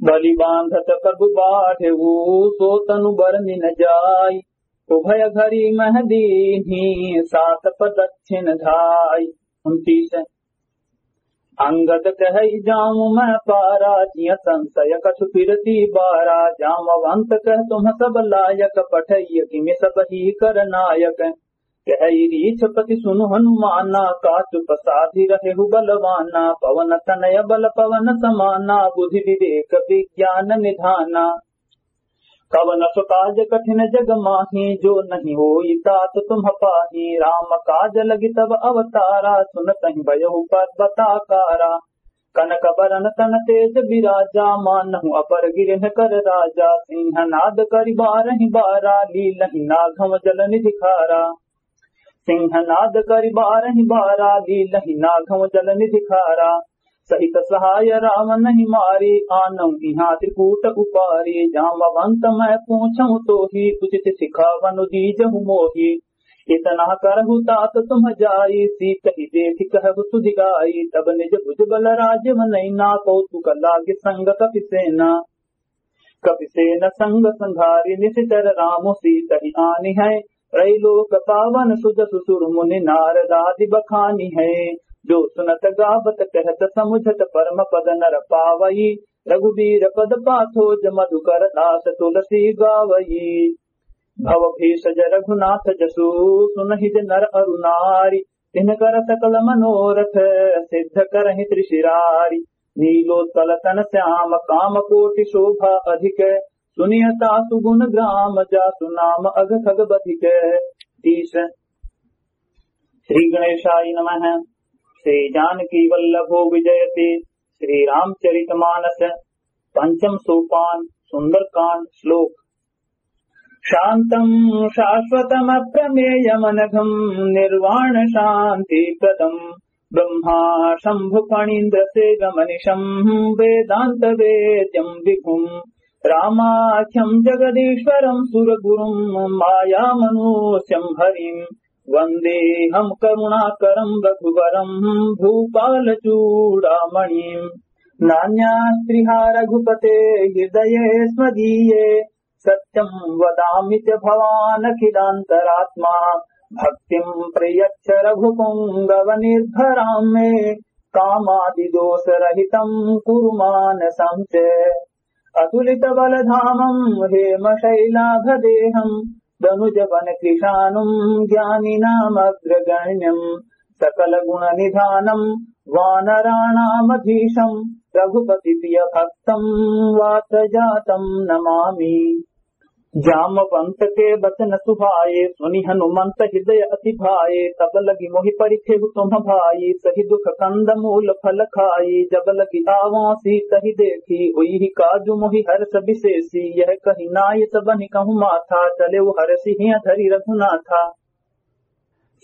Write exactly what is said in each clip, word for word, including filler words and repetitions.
बलि बांधत प्रभु बाढ़ेउ, सो तनु बरनि न जाई। उभय घरी मह दीन्ही, सात प्रदक्षिण धाई। उनतीस। अंगद कहइ जामु मह पारा, जिय संसय कछु फिरति बारा। जामवंत कह तुम सब लायक, पठइय किमि सबही कर नायक। कहइ रीछपति सुनु हनुमाना, का चुप साधि रहेहु बलवाना। पवन तनय बल पवन समाना, बुद्धि विवेक विज्ञान निधाना। कवन सो काज कठिन जग माही, जो नहीं होई तात तुम पाही। राम काज लगी तब अवतारा, सुनतहि भयहु पर्वताकारा। कनक बरन तन तेज बिराजा, मानहु अपर गिरह कर राजा। सिंहनाद करि बारहि बारा, लीलहि नाघम जल निधि खारा। सिंहनाद करि बारहि बारा, लीलहि नाघम जल निधि खारा। सहित सहाय राम नहीं मारी, आनउ इहाँ त्रिकूट उपारी। जामवंत मह पूछउ तोही, उचित सिखावनु दीजहु मोही। इतना करहु तात तुम जाई, सीतहि देखि कहहु सुधि गाई। तब निज भुज बल राजव नैना, कौतुक लागे संग कपि सेना। कपि सेन संग संघारि, निसिचर राम सीतहि आनिहैं। त्रैलोक पावन सुजसु सुर मुनि नारदादि बखानिहैं। जो सुनत गावत कहत समुझत परम पद नर पावई। रघुबीर पद पाथो ज मधुकर दास तुलसी गावई। भव भेषज रघुनाथ जसु सुनहि ज नर अरु नारी। तिनकर सकल मनोरथ सिद्ध करहिं त्रिशिरारी। नीलोत्पल तन श्याम काम कोटि शोभा अधिक। सुनिय तासु गुण ग्राम जासु नाम अघ खग बधिक। तीस। श्री गणेशाय नमः। श्री जानकी वल्लभो विजयते। श्री रामचरित मानस पंचम सोपान सुंदरकांड श्लोक। शांतं शाश्वतमप्रमेयमनघं निर्वाणशांतिप्रदं ब्रह्मा शंभु फणींद्र सेव्यमनिशं वेदांत वेद्यं विभुं रामाख्यं जगदीश्वरं सुरगुरुं मायामनुष्यं हरिं वंदेहं करुणाकरं रघुवरं भूपाल चूड़ामणिं। नान्यास्त्रिहा रघुपते हृदये स्मदीये सत्यं वदामि च भवानखिलांतरात्मा। भक्तिं प्रयच्छ रघुपुंगव निर्भरां मे कामादिदोषरहितं कुरु मानसं च। अतुलित बल धामं हेम शैलाभ देहं दनुज वन कृशानुं ज्ञानिनामग्रगण्यं सकल गुण निधानं वानराणामधीशं रघुपति प्रिय भक्तं वात जातं नमामि। जामवंत के बचन सुहाए सुनि हनुमंत हृदय अति भाए। तब लगी मोहि परिखेहु तुम भाई सहि दुख कंद मूल फल खाई। जब लगी आवंसी तहि देखी उइहि काजु मोहि हर्ष विशेषी। यह कहि नाय सबहि कहु माथा चलेउ हरषि हिय धरि रघुनाथा।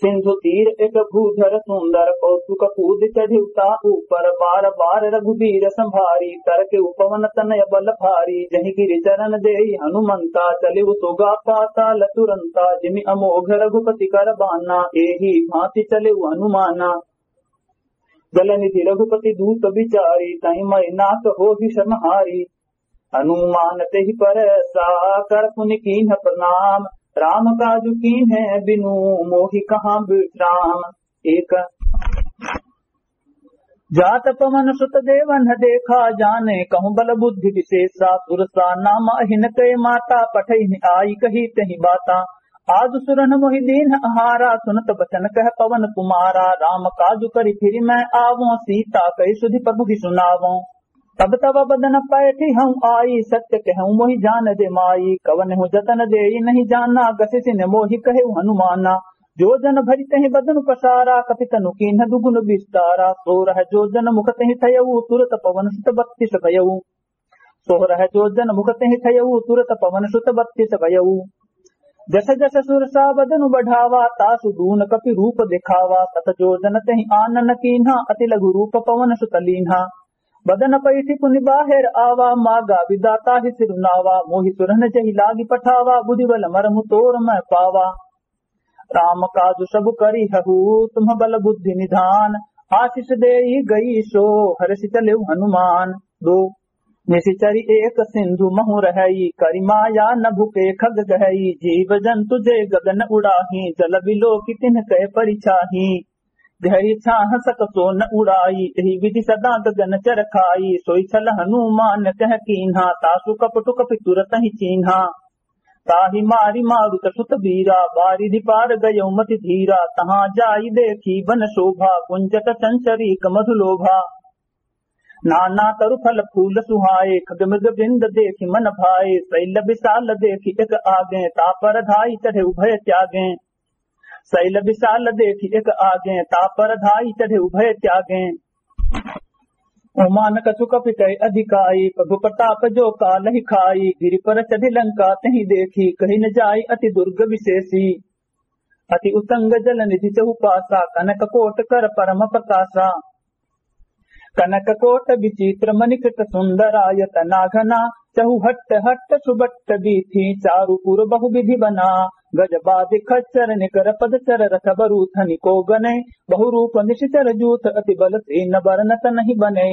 सिंधु तीर एक भूधर सुंदर कौतुक कूद चढ़िउ ता ऊपर। बार बार रघुबीर संभारी तरकेउ पवन तनय बल भारी। जहि गिरि चरण देइ हनुमंता चलेउ सोगा पाताल तुरंता। जिमि अमोघ रघुपति कर बाना एहि भांति चलेउ हनुमाना। जलनिधि रघुपति दूत बिचारी तहि मइ नाथ होहि समहारी। हनुमान तेहि पर सा कर पुनि कीन्ह प्रणाम। राम काजु कीन्हे बिनु मोहि कहाँ विश्राम। एक। जात पवन सुत देवन देखा जाने कहु बल बुद्धि विशेषा। सुरसा नाम अहिन कै माता पठइनि आई कही तेहि बाता। आजु सुरन मोहि दीन्ह आहारा सुनत बचन कह पवन कुमारा। राम काजु करि फिरि मैं आवों सीता कहि सुधि प्रभु ही सुनावों। तब तब बदन पैठिहउँ आई सत्य कहउँ मोहि जान दे माई। कवनहु जतन देइ नहीं जाना गसिसिन मोहि कहेउ हनुमाना। जो जन भरि तहि बदन पसारा कपि तनु कीन्ह दुगुन विस्तारा। सोरह जो जन मुख तहि थयउ तुरत पवन सुत बत्तीस भयउ। सोरह जो जन मुख तहि थयउ तुरत पवन सुत बत्तीस भयउ। जस जस सुरसा बदनु बढ़ावा तासु दून कपि रूप देखावा। सत जो जन तहि आनन कीन्हा अति लघु रूप पवन सुत लीन्हा। बदन पैठि पुनि बाहेर आवा मागा विधाता ही सिरुनावा। मोहि सुरन जहि लागि पठावा बुद्धि बल मरमु तोर मैं पावा। राम काजु सब करिहउ तुम बल बुद्धि निधान। आसिस देइ गई सो हरषि चलेउ हनुमान। दो। निशिचरी एक सिंधु महु रहई, करि माया नभु के खग गहई। जीव जंतु जे गगन उड़ाही, जल बिलोकि तिन्ह कै परिछाही। गहरी छाह सक सो न उड़ाई, एहि विधि सदा गगन चर खाई। सोई छल हनुमान कह कीन्हा, तासु कपटु कपि तुरत ही चीन्हा। ताहि मारि मारुत सुत बीरा, बारिधि पार गयउ मति धीरा। तहाँ जाइ देखि बन शोभा, गुंजत चंचरीक मधु लोभा। नाना तरु फल फूल सुहाए, खग मृग वृंद देखि मन भाए। शैल विशाल देखि एक आगे, ता पर धाइ चढ़े उभय त्यागे। शैल विशाल देखि एक आगे, ता पर धाइ चढ़े उभय त्यागे। ओमान कछु कपि कै अधिकाई, प्रभु प्रताप जो कालहि खाई। गिरि पर चढ़ि लंका तहि देखि, कहि न जाइ अति दुर्ग विशेषी। अति उतंग जल निधि चहुपासा, कनक कोट कर परम प्रकाशा। कनक कोट विचित्र मणि कृत सुंदरायत नागना। चहुहट्ट हट्ट सुबट्ट बीथी, चारु पुर बहु विधि बना। गज बादि खच्चर निकर पद चर रथ बरूथनि को गने। बहु रूप निशिचर जूथ अति बल सेन बरनत नहीं बने।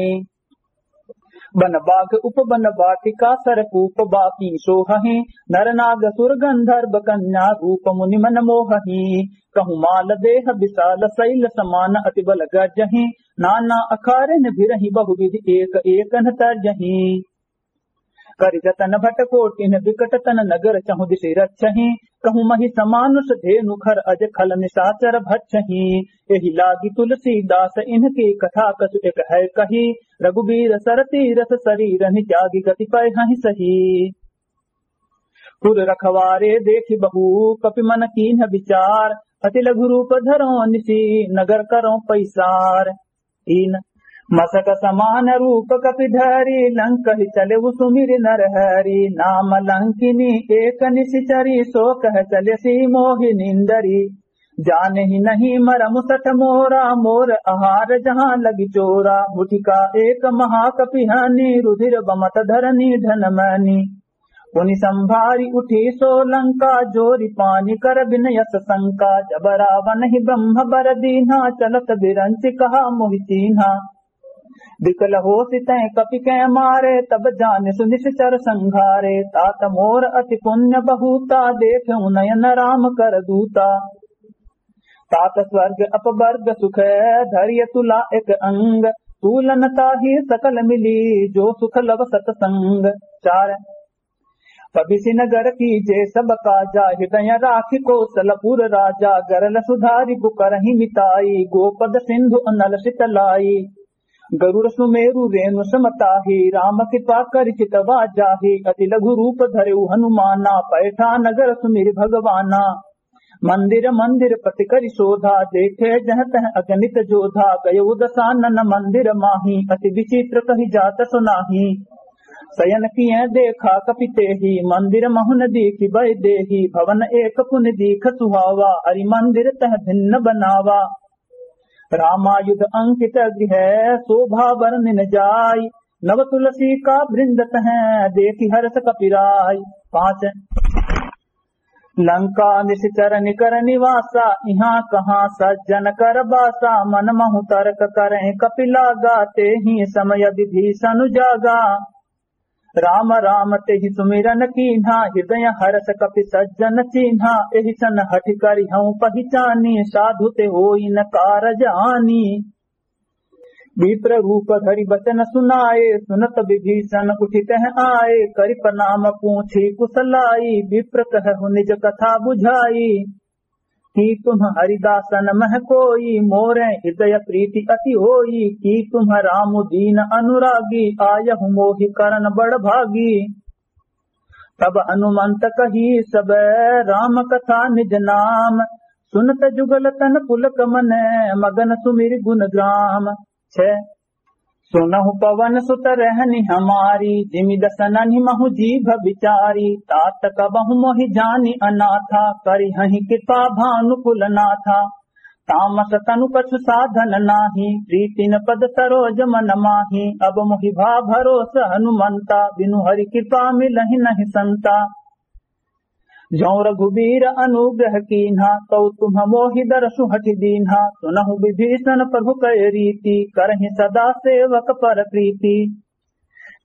बन बाघ उपबन बाटिका सरकूप बापी सोहहि। नर नाग सुर गंधर्व कन्या रूप मुनि मन मोहहि। कहु माल देह विशाल शैल समान अति बल गरजहि। नाना अखारन भिरहि बहुविधि एक एकन तर्जहि। करि जतन भट कोटिन विकट तन नगर चहुदिशि रक्षहि। कहु महिष मानुष धेनु खर अज खल निशाचर भक्षहि। एहि लागि तुलसीदास इनके कथा कछु एक है कही। रघुबीर सर तीरथ सरीरहि त्यागि गति पै हहि सही। पुर रखवारे देखि बहु कपि मन कीन्ह विचार। अति लघु रूप धरौं निशि नगर करौं पैसार। तीन। मसक समान रूप कपि धरी लंकहि चलेउ सुमिरि नर हरि। नाम लंकिनी एक निशिचरी सो कह चलेसि मोहि नींदरी। जानहि नहीं मरम सठ मोरा मोर आहार जहाँ लगि चोरा। मुठिका एक महाकपि हनी रुधिर बमत धरनी धन मनी। पुनि संभारि उठी सो लंका जोरि पानि कर बिन यस शंका। जब रावनहि ब्रह्म बर दीन्हा चलत बिरंचि कहा मोहि चीन्हा। विकल होसि तैं कपि कै मारे तब जानिसु निशिचर संघारे। तात मोर अति पुण्य बहुता देखेउ नयन राम कर दूता। तात स्वर्ग अपवर्ग सुख धरिय तुला एक अंग। तूलन ताहि सकल मिली जो सुख लव सतसंग। चार। पबिसि नगर कीजे सब काजा हिदय राखि कोसलपुर राजा। गरल सुधारि पुकरहिं मिताई गोपद सिंधु अनल सितलाई। गरुड़ सुमेरु रेणु सम ताहि राम कृपा करि चितवा जाहि। अति लघु रूप धरेउ हनुमाना पैठा नगर सुमिरि भगवाना। मंदिर मंदिर पति करि शोधा देखे जह तह अगणित जोधा। गयउ दसानन मंदिर माहि अति विचित्र कहि जात सुनाहि। सयन किए देखा कपि तेहि मंदिर महुन दीखि बैदेहि। भवन एक पुनि दीख सुहावा हरि मंदिर तह भिन्न बनावा। रामायुध अंकित गृह शोभा बरनिन जाय। नव तुलसी का वृंद तह देखि हरष कपि राय। पाँच। लंका निशिचर निकर निवासा इहाँ कहाँ सज्जन कर बासा। मन महु तर्क करें कपि लागा तेहि समय विभीषन जागा। राम राम तेहि सुमिरन कीन्हा हिदय हरष कपि सज्जन चीन्हा। एहि सन हठि करिहउँ पहिचानी साधु ते होई न कारज हानि। विप्र रूप धरि बचन सुनाए सुनत विभीषन उठि तह आए। करि प्रणाम पूछि कुसलाई विप्र कहु निज कथा बुझाई। कि तुम हरिदासन मह कोई मोरे हृदय प्रीति अति होई। कि तुम राम दीन अनुरागी आयहु मोहि करण बड़ भागी। तब हनुमंत कही सब राम कथा निज नाम। सुनत जुगल तन पुलक मन मगन सुमिरि गुन ग्राम। छह। सुनहु पवन सुत रहनि हमारी जिमि दसननि महु जीभ बिचारी। तात कबहु मोहि जानि अनाथा करिहहि कृपा भानुकुल नाथा। तामस तनु कछु साधन नाहि प्रीतिन पद सरोज मन माहि। अब मोहि भा भरोस हनुमंता बिनु हरि कृपा मिलहि नहि संता। जौं रघुबीर अनुग्रह कीन्हा तौ तुम मोहि दरसु हठि दीन्हा। सुनहु विभीषन प्रभु कै रीति करहिं सदा सेवक पर प्रीति।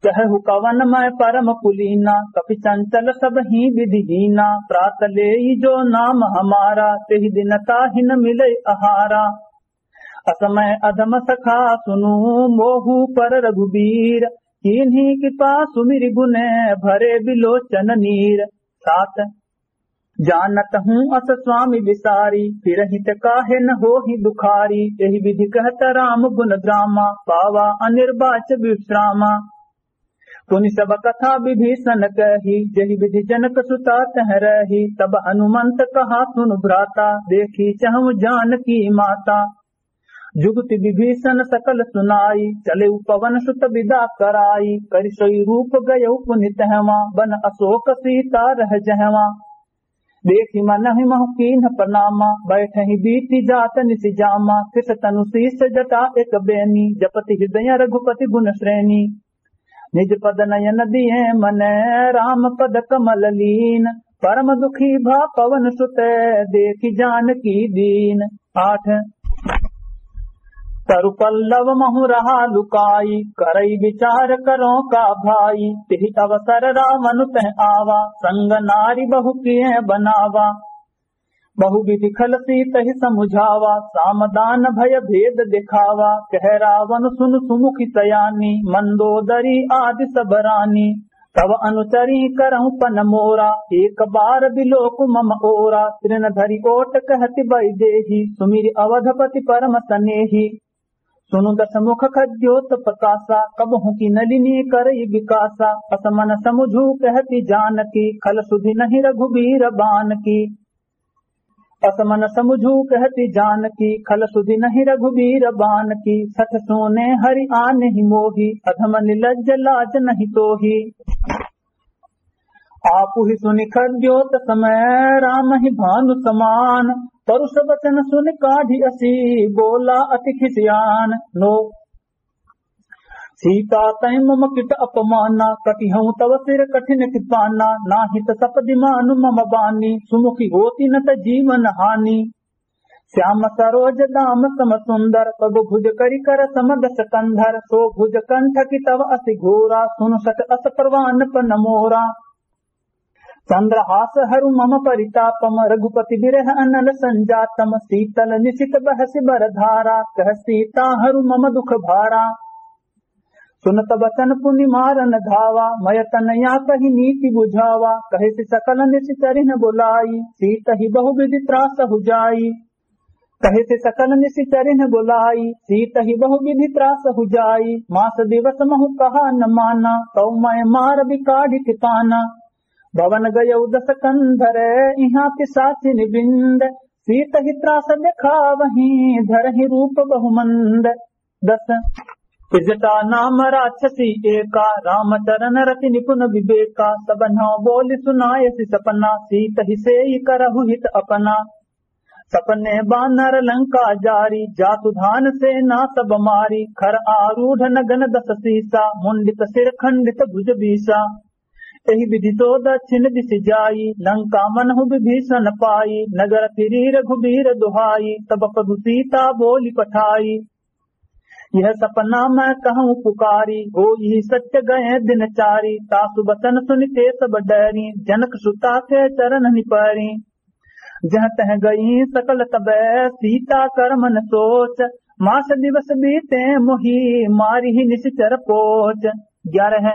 कहहु कवन मय परम कुलीना, कपि चंचल सबहिं विधिहीना। प्रात लेई जो नाम हमारा, तेहि दिन ताहि न मिलै अहारा। असमय अधम सखा सुनु मोहु पर रघुबीर, कीन्ही कृपा सुमिरि गुन भरे बिलोचन नीर। सात। जानत हूँ अस स्वामी बिसारी, फिरहित काहे न होही दुखारी। एहि विधि कहत राम गुन ग्रामा, पावा अनिर्वाच विश्रामा। पुनि सब कथा विभीषण कही, जहि विधि जनक सुता तह रही। तब हनुमंत कहा सुनु भ्राता, देखी चहु जानकी माता। जुगति विभीषण सकल सुनाई, चले उपवन सुत विदा कराई। करि सोई रूप गयउ पुनि तहवाँ, बन अशोक सीता रह जहवाँ। देखि मनहि महु कीन्ह प्रणामा, बैठहि बीति जात निसि जामा। कृत तनु शीश जटा एक बेनी, जपति हृदय रघुपति गुन श्रेणी। निज पद नयन दिए मन, राम पद कमल लीन। परम दुखी भा पवन सुत, देखि जानकी दीन। आठ। तरु पल्लव महु रहा लुकाई, करई विचार करो का भाई। तेहि अवसर रावण तह आवा, संग नारी बहु किए बनावा। बहु विधि खल सीतहि समुझावा, साम दान भय भेद दिखावा। कह रावण सुन सुमुखि सयानी, मंदोदरी आदि सब रानी। तव अनुचरी करहु पन मोरा, एक बार बिलोकु मम ओरा। तृण धरि ओट कहति वैदेही, सुमिरि अवधपति परम सनेही। सुनु दस मुख खद्योत प्रकाशा, कबहु की नलिनी करई विकासा। अस मन समुझू कहति जानकी, खल सुधि नहीं रघुबीर बानकी। अस मन समुझू कहति जानकी, खल सुधि नहीं रघुबीर बानकी। सठ सूने हरि आनहि मोही, अधम निलज्ज लाज नहीं तोही। आपुहि सुनि खद्योत समय, रामहि भानु समान। परुष वचन सुनि काढि असी, बोला अति खिसियान। नौ। सीता तैं मम कित अपमाना, कटिहउँ तव सिर कठिन कृपाना। नाहित सपदि मानु मम बानी, सुमुखि होति न त जीवन हानि। श्याम सरोज दाम सम सुंदर, पग भुज करि कर सम दस कंधर। सो भुज कंठ की तव असि घोरा, सुनु सठ अस प्रवान पन मोरा। चंद्रहास हरु मम परितापम, रघुपति विरह अनल संजातम। शीतल निशित बहसि बर धारा, कह सीता हरु मम दुख भारा। सुनत बचन पुनि मारन धावा, मय तनया कहि नीति बुझावा। कहिसि सकल निसि चरिन्ह बोलाई, सीतहि बहु विधि त्रासहु जाई। कहिसि सकल निसि चरिन्ह बोलाई, सीतहि बहु विधि त्रासहु जाई। मास दिवस महु कहा न माना, तउ मय मार बिकाढि ठिकाना। भवन गयउ दस कंधर, इहाँ पिसाचिन बिंद। सीतहि त्रास देखावहीं, धरहिं रूप बहुमंद। दस। त्रिजटा नाम राक्षसी एका, रामचरण रति निपुन विवेका। सब नौ बोलि सुनायसि सपना, सीतहि सेइ करहु हित अपना। सपने बानर लंका जारी, जासु धान सेना सब मारी। खर आरूढ़ नगन दस सीसा, मुंडित सिर खंडित भुज बीसा। एहि विधि सो दक्षिण दिसि जाई, लंका मनहु विभीषण पाई। नगर फिरी रघुबीर दुहाई, तब प्रभु सीता बोलि पठाई। यह सपना मैं कहूँ पुकारी, होई सत्य गए दिन चारी। तासु बचन सुनि ते सब डरी, जनक सुता के चरण निपरी। जह तह गई सकल तबै सीता कर मन सोच, मास दिवस बीते मोही मारिहि निसिचर पोच। ग्यारह।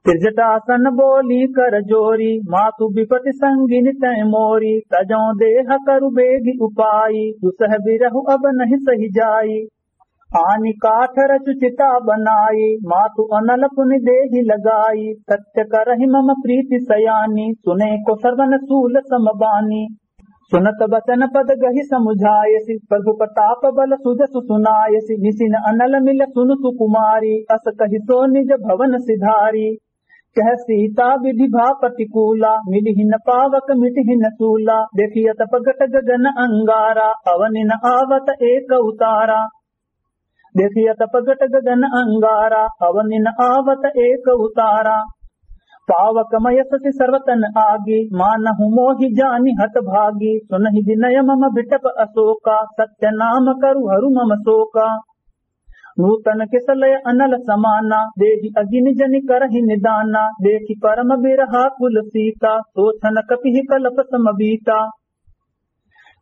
त्रिजटासन बोली कर जोरी, मातु विपति संगिनि तैं मोरी। तजौं देह करु बेगि उपाई, दुसह बिरहु अब नहीं सहि जाई। आनि काठ रचु चिता बनाई, मातु अनल पुनि देहि लगाई। सत्य करहि मम प्रीति सयानी, सुने को श्रवण सूल सम बानी। सुनत बचन पद गहि समुझायसि, प्रभु प्रताप बल सुजसु सुनायसि। निसिन अनल मिल सुनु सुकुमारी, अस कहि सो निज भवन सिधारी। कह सीता विधि भा प्रतिकूला, मिलिहि न पावक मिटिहि न सूला। देखि अतप घट गगन अंगारा, अवनि न आवत एक उतारा। देखि अतप घट गगन अंगारा, अवनि न आवत एक उतारा। पावक मय शशि सर्वतन आगी, मानहु मोहि जानि हत भागी। सुनहि विनय मम बिटप अशोका, सत्य नाम करु हरु मम शोका। नूतन किसलय अनल समाना, देहि अगिनि जनि करहि निदाना। देखि परम बिरहा कुल सीता, सोचन कपिहि कलप सम बीता।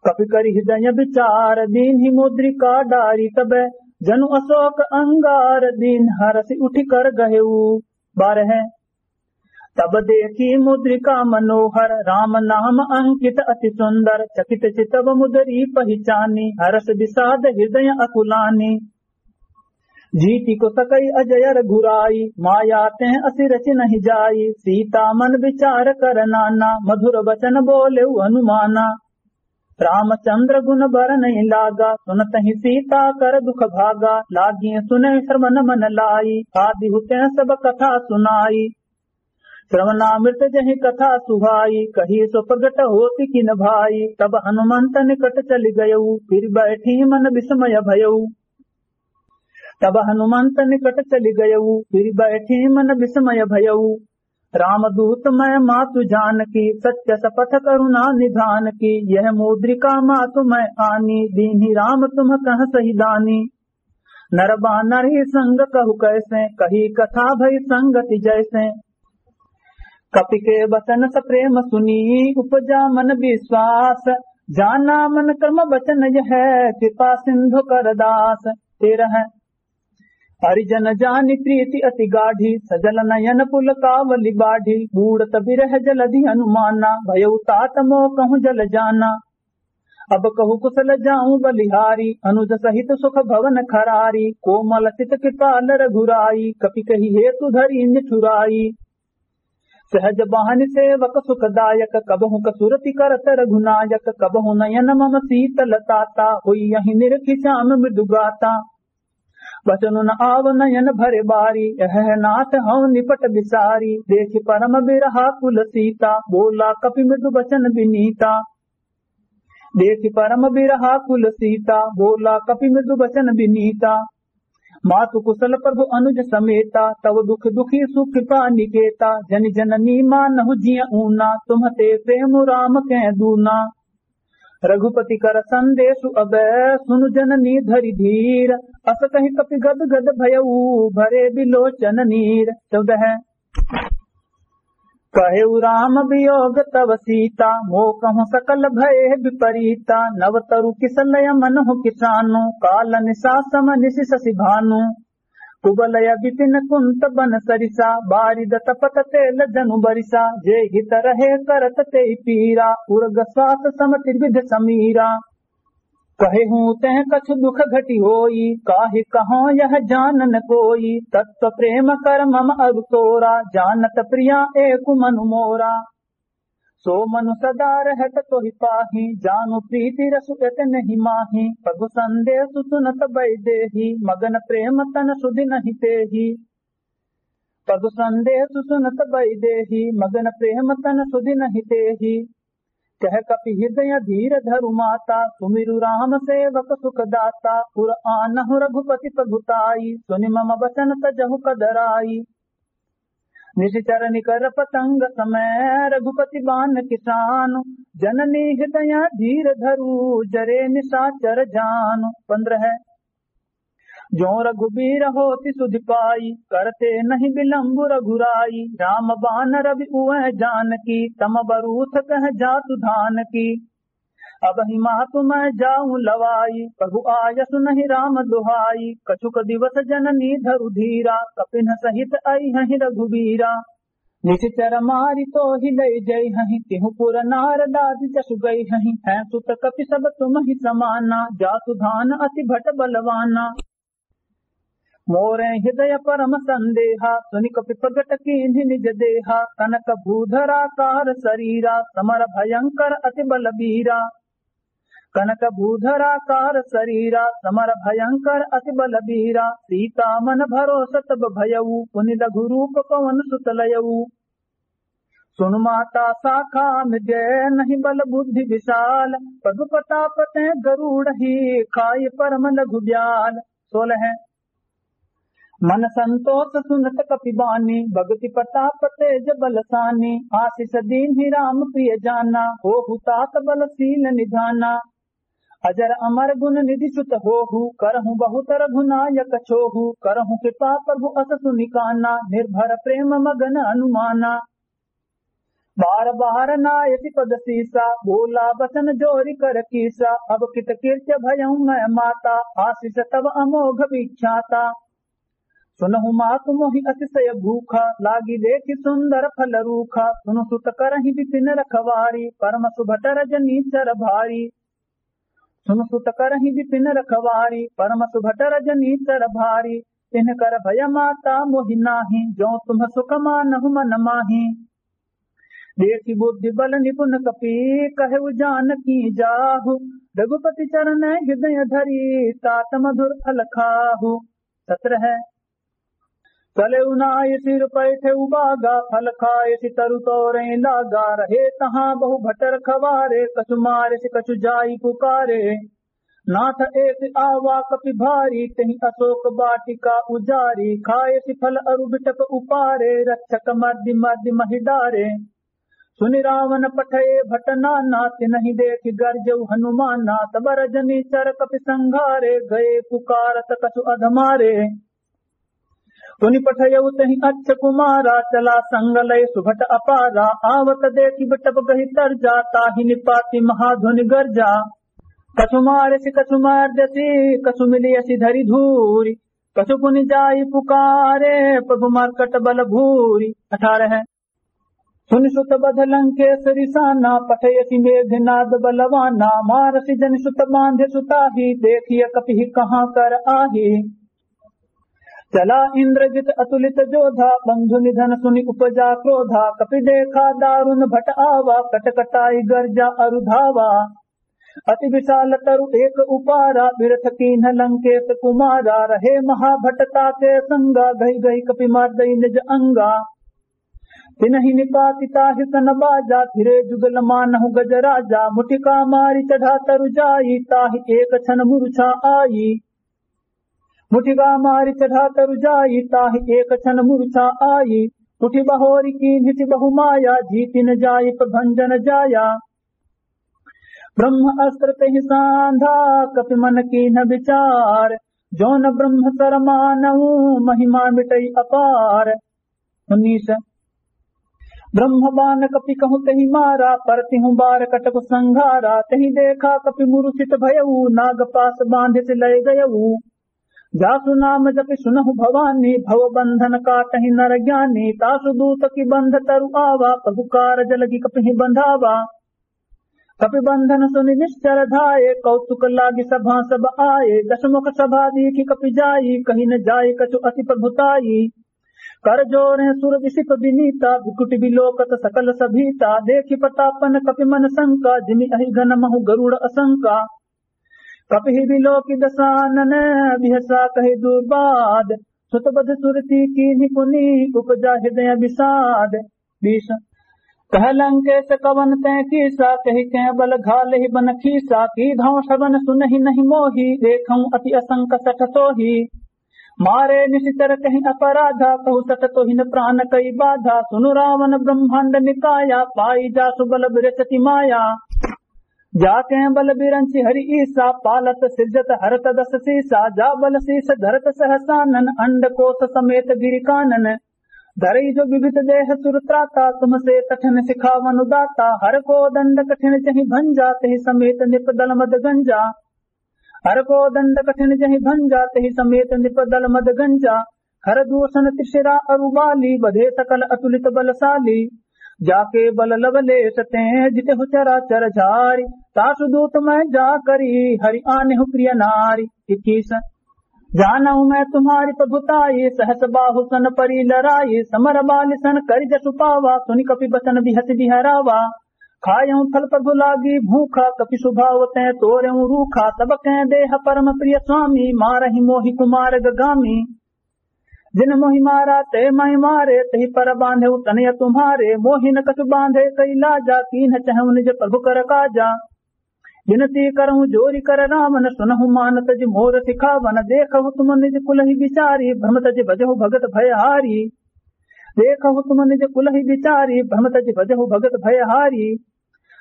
कपि करि हृदय विचार, दीन्हि मुद्रिका डारि तब, जनु अशोक अंगार। दीन्ह हरषि उठि कर गहेउ। बारह। तब देखि मुद्रिका मनोहर, राम नाम अंकित अति सुंदर। चकित चितव मुदरी पहिचानी, हरष विषाद हृदय अकुलानी। जीति को सकई अजय रघुराई, माया तें असिरचि नहीं जाई। सीता मन विचार कर नाना, मधुर वचन बोलेउ हनुमाना। रामचंद्र गुण बरनइ लागा, सुनतहि सीता कर दुख भागा। लागी सुनइ श्रवण मन लाई, आदि हुते सब कथा सुनाई। श्रवणामृत जहि कथा सुहाई, कही सो प्रगट होति किन भाई। तब हनुमंत निकट चलि गयउ, फिरि बैठी मन विस्मय भयउ। तब हनुमंत निकट चलि गयउ, फिरि बैठी मन विस्मय भयउ। रामदूत मैं मातु जानकी, सत्य सपथ करुणा निधान की। यह मुद्रिका मातु मैं आनी, दीन्हि राम तुम्ह कह सही दानी। नर बानर ही संग कहु कैसे, कही कथा भई संगति जैसे। कपि के वचन सप्रेम सुनी, उपजा मन विश्वास। जाना मन क्रम वचन यह, कृपा सिंधु कर दास। तेरह। हरिजन जानि प्रीति अति गाढ़ी, सजल नयन पुलकावली बाढ़ी। बूड़त बिरह जलधि हनुमाना, भयउ तात मोकहु जल जाना। अब कहु कुसल जाउँ बलिहारी, अनुज सहित सुख भवन खरारी। कोमल चित कृपाल रघुराई, कपि कहि हेतु धरी निठुराई। सहज बहनि सेवक सुखदायक, कबहुँ कसुरति करत रघुनायक। कबहुँ नयन मम शीतल ताता, होइयहि निरखि श्याम मृदु गाता। बचन न आव नयन भरे बारी, यह नाथ हौ निपट बिसारी। देखि परम बिरहा कुल सीता, बोला कपि मृदु बचन बिनीता। देखि परम बिरहा कुल सीता, बोला कपि मृदु बचन बिनीता। मातु कुसल प्रभु अनुज समेता, तव दुख दुखी सुख पा निकेता। जनि जननी मानहु जिय ऊना, तुम्ह ते प्रेम राम के दूना। रघुपति कर संदेशु अब, सुनु जननी धरि धीर। अस कहि कपि गद गद भयउ, भरे बिलोचन नीर। चौदह। कहेउ राम वियोग तव सीता, मोकहु सकल भय विपरीता। नव तरु किसलय मनहु किसानु, काल निसा सम निसि ससि भानु। कुबलय बिपिन कुंत बन सरिसा, बारिद तपत तेल जनु बरिसा। जे हित रहे करत तेहि पीरा, उरग श्वास सम त्रिविध समीरा। कहेहूँ तें कछु दुख घटि होई, काहि कहौं यह जानन कोई। तत्व प्रेम कर मम अब तोरा, जानत प्रिया एक मनु मोरा। सो मनु सदा रहत तोहि पाही, जानु प्रीति रसु एतनहि माही। प्रभु संदेशु सुनत बैदेही, मगन प्रेम तन सुधि नहि तेही। प्रभु संदेशु सुनत बैदेही, मगन प्रेम तन सुधि नहि तेही। कह कपि हृदय धीर धरु माता, सुमिरु राम सेवक सुख दाता। पुर आनहु रघुपति प्रभुताई, सुनि मम वचन तजहु कदराई। निशिचर निकर पतंग समय, रघुपति बान किसानु। जननी हृदय धीर धरु, जरे निशाचर जानु। पन्द्रह। जो रघुबीर होति सुधि पाई, करते नहीं विलंबु रघुराई। राम बान रवि उवै जानकी, तम बरूथ कह जातु धानकी। अबहि मातु मैं जाउँ लवाई, प्रभु आयसु नहीं राम दुहाई। कछुक दिवस जननी धरु धीरा, कपिन्ह सहित अइहहिं रघुबीरा। निशिचर मारि तोहि लइ जइहहिं, तिहु पुर नारदादि जसु गइहहिं। हैं सुत कपि सब तुमहि समाना, जातु धान अति भट बलवाना। मोरे हृदय परम संदेहा, सुनि कपि प्रगट कीन्हि निज देहा। कनक भूधराकार सरीरा, समर भयंकर अति बलबीरा। कनक भूधराकार सरीरा, समर भयंकर अति बलबीरा। सीता मन भरोस तब भयउ, पुनि लघु रूप पवन सुत लयउ। सुनु माता शाखा मृग नहीं बल बुद्धि विशाल, प्रभु प्रताप तें गरुड़हि खाइ परम लघु ब्याल। सोलह। मन संतोष सुनत कपि बानी, भगति प्रताप तेज बल सानी। आशीष दीन्हि राम प्रिय जाना, होहु तात बल शील निधाना। अजर अमर गुण निधि सुत होहु, करहु बहुत रघुनायक छोहु। करहु कृपा प्रभु अस सुनि काना, निर्भर प्रेम मगन हनुमाना। बार बार नायति पद सीसा, बोला बचन जोरि कर कीसा। अब कित कृत्य भयउ मय माता, आशीष तब अमोघ विख्याता। सुनहु मातु मोहि अतिशय भूखा, लागि देखि सुंदर फल रूखा। सुनु सुत करहिं बिपिन रखवारी, परम सुभट रजनीचर भारी। सुनु सुत करहिं बिपिन रखवारी, परम सुभट रजनीचर भारी। तिनकर भय माता मोहि नाहीं, जो तुम सुख मानहु मन माहीं। देखि बुद्धि बल निपुन कपि, कहेउ जानकी जाहु। रघुपति चरण हृदय धरी, तात मधुर फल खाहु। सत्र है। चलेउ नाइ सिर पैठेउ बागा, फल खाए सि तरु तोरे लागा। रहे तहाँ बहु भट रखवारे, कछु मारे सि कछु जाई पुकारे। नाथ एक आवा कपि भारी, तेहि अशोक वाटिका उजारी। खाए सि फल अरु बिटप उपारे, रक्षक मर्दि मर्दि महि डारे। सुनि रावण पठए भट नाना, तिनहि देखि गरजउ हनुमाना। तब रजनीचर कपि संघारे, गए पुकारत कछु अधमारे। पुनि पठयउ तेहि अक्ष कुमारा, चला संग लय सुभट अपारा। आवत देखि बिटप गहि तरजा, ताहि निपाति महाध्वनि गरजा। कछु मारसि कछु मर्दसि, कछु मिलियसि धरि धूरि। कछु पुनि जाई पुकारे, प्रभु मर्कट बल भूरि। अठारह। सुनि सुत बध लंकेस रिसाना, पठयसि मेघनाद बलवाना। मारसि जनि सुत बांधे सुताही, देखिय कपिहि कहाँ कर आही। चला इंद्रजित अतुलित जोधा, बंधु निधन सुनि उपजा क्रोधा। कपि देखा दारुन भट आवा, कटकटाई गरजा अरु धावा। अति विशाल तरु एक उपारा, बिरथ कीन्ह लंकेस कुमारा। रहे महाभट ताके संगा, गहि गहि कपि मर्दइ निज अंगा। तिनहि निपाति ताहि सन बाजा, फिरे जुगल मानहु गजराजा। मुठिका मारि चढ़ा तरु जाई, ताहि एक छन मुरुछा आई। मुठिका मारि चढ़ा तरु जाई, ताहि एक छन मुरुछा आई। उठि बहोरि कीन्हिसि बहु माया, जीति न जाई प्रभंजन जाया। ब्रह्म अस्त्र तेहि सांधा, कपि मन कीन्ह विचार। जो न ब्रह्म सर मानउ, महिमा मिटइ अपार। उन्नीस। ब्रह्म बान कपि कहु तेहि मारा, परतिहु बार कटकु संघारा। तेहि देखा कपि मुरुछित भयउ, नाग पास बांधिसि लय गयउ। जासु नाम जपि सुनहु भवानी, भव बंधन काटहि नर ज्ञानी। तासु दूत की बंध तरु आवा, प्रभु कारज लगि कपिहि बंधावा। कपि बंधन सुनि निश्चर धाये, कौतुक लागि सभा सब आये। दसमुख सभा दीखि कपि जाई, कहि न जाय कछु अति प्रभुताई। कर जोरे सुर विसिप विनीता, भृकुटि बिलोकत सकल सभीता। देखि प्रतापन कपि मन शंका, जिमि अहि गन महु गरुड़ असंका। कपिहि बिलोकि दसानन, बिहसा कहि दुर्बाद। सुत बध सुरति कीन्हि पुनि, उपजा हृदय विषाद। बीस। कह लंकेस कवन तैं कीसा, कहि कें बल घालहि बन खीसा। कीधौं श्रवण सुनहि नहि मोहि, देखौं अति असंक सठ सोहि। मारे निशिचर कहि अपराधा, कहु सठ तोहिन प्रान कइ बाधा। सुनु रावण ब्रह्मांड निकाया, पाई जासु बल बिरचति माया। जाके बल बिरंचि हरि ईसा, पालत सिरजत हरत दस सीसा। जा बल शीस धरत सहसानन, अंड कोस समेत गिरि कानन। धरई जो विविध देह सुर त्राता, तुमसे कठिन सिखावनु दाता। हर को दंड कठिन जहि भंजा, तहि समेत नृप दल मद गंजा। हर को दंड कठिन जहि भंजा, तहि समेत नृप दल मद गंजा। खर दूषण त्रिशिरा अरु बाली, बधे सकल अतुलित बलशाली। जाके बल लवलेस तें जितहु चराचर झारी। तासु दूत मैं जा करी हरि आनेहु प्रिय नारी। इक्कीस। जानहु मैं तुम्हारी प्रभुताई, सहस बाहु सन परी लराई। समर बालि सन करि जसु पावा, सुनि कपि बचन बिहसि बिहरावा। खायहु फल प्रभु लागी भूखा, कपि सुभाव तें तोरेउ रूखा। तब कें देह परम प्रिय स्वामी, मारहि मोहि कुमारग गामी। जिन मोहि मारा ते महि मारे, तहि पर बांधेउ तनय तुम्हारे। मोहि न कछु बांधे कइ लाजा, कीन्ह चहउ निज प्रभु कर काजा। विनती करहु जोरि कर रावण, सुनहु मान तजि मोर सिखावन। देखहु तुम निज कुलहि बिचारी, भ्रम तजि भजहु भगत भयहारी। देखहु तुम निज कुलहि बिचारी, भ्रम तजि भजहु भगत भयहारी।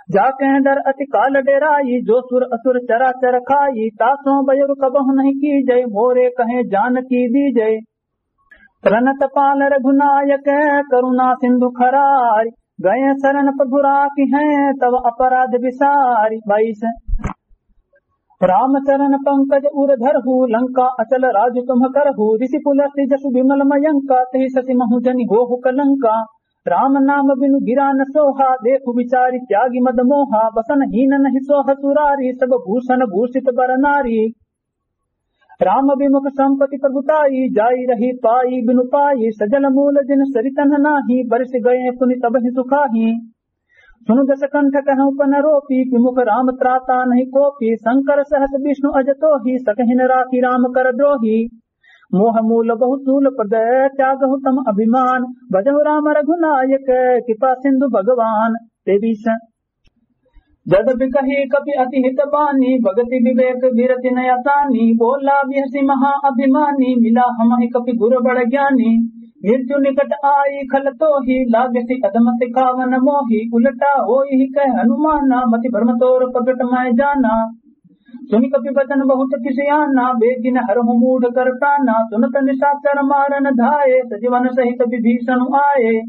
जाके डर अति काल डेराई, जो सुर असुर चराचर खाई, तासों बयुर कबहु नहीं कीजै, मोरे कहे जानकी दीजै। प्रणत पाल रघुनायक करुणा सिंधु खरारी, गए शरण प्रभु राखिहैं तब अपराध बिसारी। बाईस। राम चरण पंकज उर धरहु, लंका अचल राज तुम करहु। ऋषि पुलस्त्य जसु विमल मयंका, तहि शशि महु जनि होहु कलंका। राम नाम बिनु गिरा न सोहा, देखु विचारि त्यागि मद मोहा। बसन हीन नहीं सोह सुरारी, सब भूषण भूषित बर नारी। राम विमुख संपति प्रभु ताई, जाई रही पाई बिनु पाई। सजल मूल जिन सरितन नाही, बरिस गए पुनि तबहि सुखाही। सुनु दस कंठ कहउँ पन रोपी, विमुख राम त्राता नहीं कोपी। शंकर सहस विष्णु अज तोही, सकहिन राखी राम कर द्रोही। मोह मूल बहु शूल प्रदय, त्यागहु तम अभिमान। भजहु राम रघुनायक, कृपा सिंधु भगवान। तेवीस। जद बिकही कपि अति हित बानी, भगति विवेक विरति नय सानी। बोला बिहसि महा अभिमानी, मिला हमहि कपि गुर बड़ ज्ञानी। मृत्यु निकट आई खल तोही, लागसि अधम सिखावन मोही। उलटा होई कह हनुमाना, मति भ्रम तोर प्रगट मय जाना। सुनि कपि वचन बहुत किसियाना, बेगिन हरहु मूढ़ कर प्राना। सुनत निशाचर मारन धाये, सजीवन सहित विभीषण आये।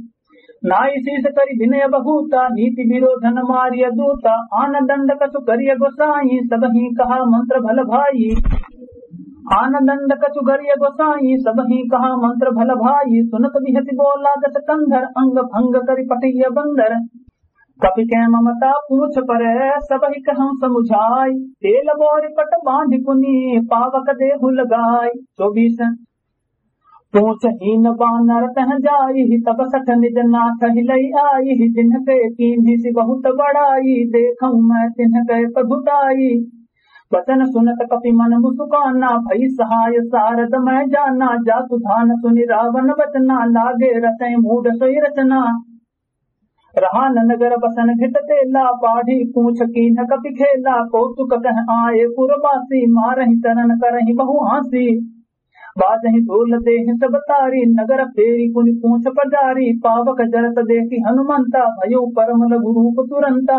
नाई शीस करि विनय बहुता, नीति विरोधन मारिय दूता। आन दंड कछु करिय गोसाई, सबही कहा मंत्र भल भाई। आन दंड कछु करिय गोसाई, सबही कहा मंत्र भल भाई। सुनत बिहसि बोला जस कंधर, अंग भंग करि पठिय बंदर। कपि के ममता पूछ परे, सबहि कहउँ समुझाई। तेल बोरि पट बाँधि पुनि, पावक देहु लगाई। चौबीस। पूछ हीन बानर तह जाई, तब सठ निज नाथ हिलई आई। जिनके कीन्हिसि बहुत बड़ाई, देखउँ मैं तिनके प्रभु ताई। वचन सुनत कपि मन मुसुकाना, भई सहाय सारद मय जाना। जासु ध्यान सुनि रावन वचना, लागे रचइ मूढ़ सोई रचना। रहा न नगर बसन घिट तेला, बाढ़ी पूछ कीन्ह कपि खेला। कौतुक कह आए पुरवासी, मारहि चरण करहि बहु हाँसी। बाजहि ढोल देहि सब तारी, नगर फेरि पुनि पूछ पजारी। पावक जरत देखि हनुमंता, भयउ परम लघु रूप तुरंता।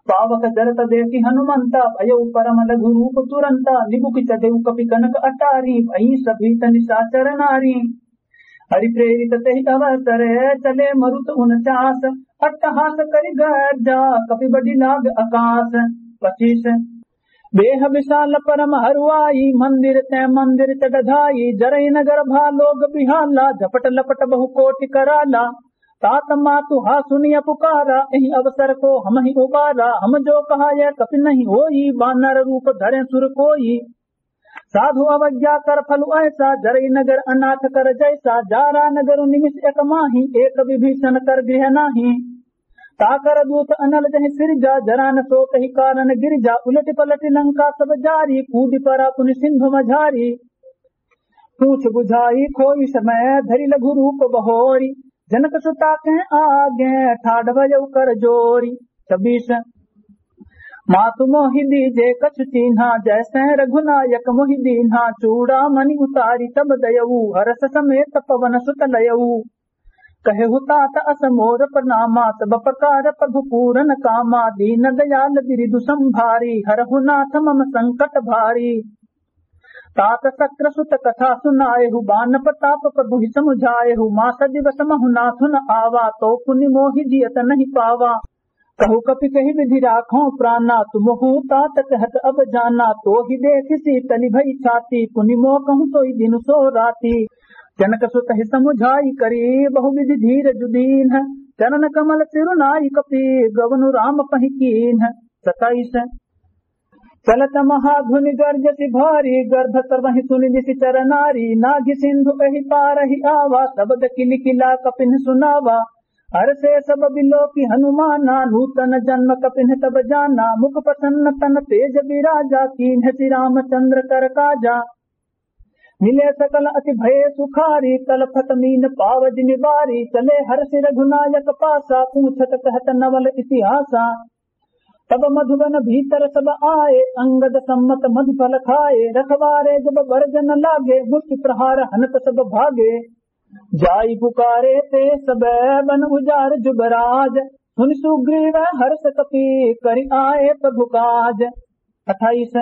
पावक जरत देखि हनुमंता, भयउ परम लघु रूप तुरंता। निबुकि चढ़ेउ कपि कनक अटारी, भई सभीत निशाचर नारी। हरि प्रेरित तेहि अवसर, चले मरुत उनचास। अट्टहास करि गर्जा, कपि बडि लाग अकास। पच्चीस। बेह विशाल परम हरुआई, मंदिर तैं मंदिर चढ़ धाई। जरई नगर भा लोग बिहाला, झपट लपट बहु कोटि कराला। तात मातु हा सुनिय पुकारा, एहि अवसर को हमहिं उबारा। हम जो कहा यह कपि नहीं होई, बानर रूप धरे सुर कोई। साधु अवज्ञा कर फलु ऐसा, जरई नगर अनाथ कर जैसा। जारा नगर निमिष एक माही, एक विभीषण कर गृह नाही। ताकर दूत अनल जहि सिरजा, जरा न सो कहि कारण गिरजा। उलटि पलटि लंका सब जारी, कूदि परा पुनि सिंधु मझारी। पूछ बुझाई खोई समय, धरि लघु रूप बहोरी। जनक सुता के आगे, ठाढ़ भयउ कर जोरी। छब्बीस। मातु मोहि दीजे कछु चीन्हा, जैसे रघुनायक मोहि दीन्हा। चूड़ामणि उतारि तब दयऊ, हरष समेत पवन सुत लयऊ। कहेहु तात अस मोर प्रणामा, सब प्रकार प्रभु पूरन कामा। दीन दयाल बिरिदु संभारी, हरहु नाथ मम संकट भारी। तात शक्र सुत कथा सुनाएहु, बान प्रताप प्रभु ही समुझाएहु। मास दिवस महु नाथुन आवा, तो पुनि मोहि जियत नहीं पावा। कहु कपि कहि विधि राखो प्राना, तुमहु तात कहत अब जाना। तोहि देखि शीतलि भई छाती, पुनि मो कहु सोई दिनु सो राती। जनक सुत ही समुझाई करी, बहु विधि धीरजु दीन्ह। चरण कमल सिरु नाई कपि, गवनु राम पहि कीन्ह। सताइस। चलत महाघुनि गर्जसि भारी, गर्भ सर्वहि सुनि निशिचर नारी। नाघि सिंधु एहि पारहि आवा, शब्द किलि किला कपिन सुनावा। हरषे सब बिलोकि हनुमाना, नूतन जन्म कपिन तब जाना। मुख प्रसन्न तन तेज बिराजा, कीन्ह श्री रामचंद्र कर काजा। मिले सकल अति भये सुखारी, तलफत मीन पाव जिमि बारी। चले हरषि रघुनायक पासा, पूछत कहत नवल इतिहासा। तब मधुबन भीतर सब आए, अंगद सम्मत मधुफल खाए। रखवारे जब बरजन लागे, मुष्टि प्रहार हनत सब भागे। जाई पुकारे ते सब बन उजार जुबराज। सुनि सुग्रीव हर्ष कपि करि आए प्रभु काज। अट्ठाईस।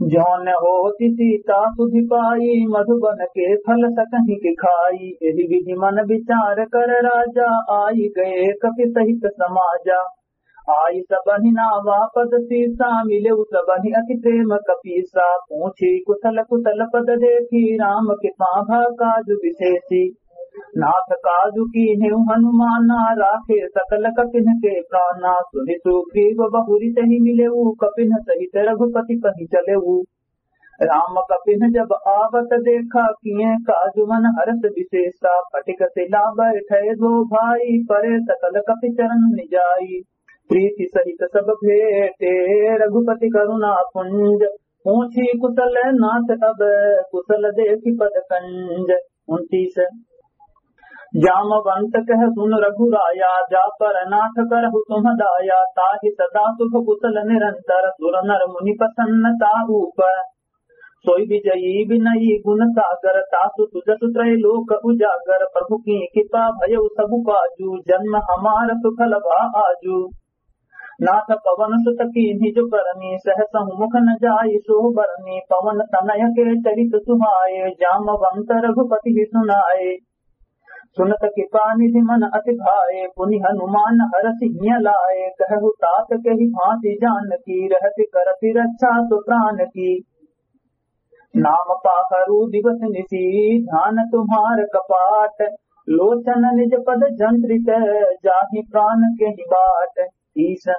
जौन होति सीता सुधि पाई, मधुबन के फल सकहिं के खाई। एहि विधि मन विचार कर राजा, आई गए कपि सहित समाजा। आई सबहिं नावा पद सीसा, मिलेउ सबहिं अति प्रेम कपीसा। पूछी कुशल कुशल पद देखी, राम कृपा भा काजु विशेषी। नाथ काजु कीन्हेउ हनुमाना, राखे सकल कपिन के प्राना। सुनि सुग्रीव बहुरि तहि मिलेउ, कपिन सहित रघुपति पहि चलेउ। राम कपिन जब आवत देखा, किए काजु मन हर्ष विशेषा। फटिक सिला बैठे दो भाई, परे सकल कपि चरण निजाई। प्रीति सहित सब भेटे, रघुपति करुणा पुंज। पूछी कुशल नाथ अब, कुशल देखि पद कंज। उनतीस। जामवंत कह सुन रघुराया, जा पर नाथ करहु तुम दाया। ताहि सदा शुभ कुशल निरंतर, सुर नर मुनि प्रसन्न ता ऊपर। सोई विजयी विनयी गुण सागर, तासु सुजसु त्रय लोक उजागर। प्रभु की कृपा भयउ सबु काजू, जन्म हमार सुफल भा आजू। नाथ पवन सुत कीन्ही जो करनी, सहसहु मुख न जाई सो बरनी। पवन तनय के चरित सुहाए, जामवंत रघुपति ही सुनाए। सुनत कृपा निधि मन अति भाए, पुनि हनुमान हरषि हिय लाए। कहहु तात केहि भाँति जानकी, रहति करति रक्षा सो प्रान की। नाम पाखरु दिवस निशि ध्यान तुम्हार कपाट, लोचन निज पद जंत्रित जाहि प्रान केहि बाट। तीस।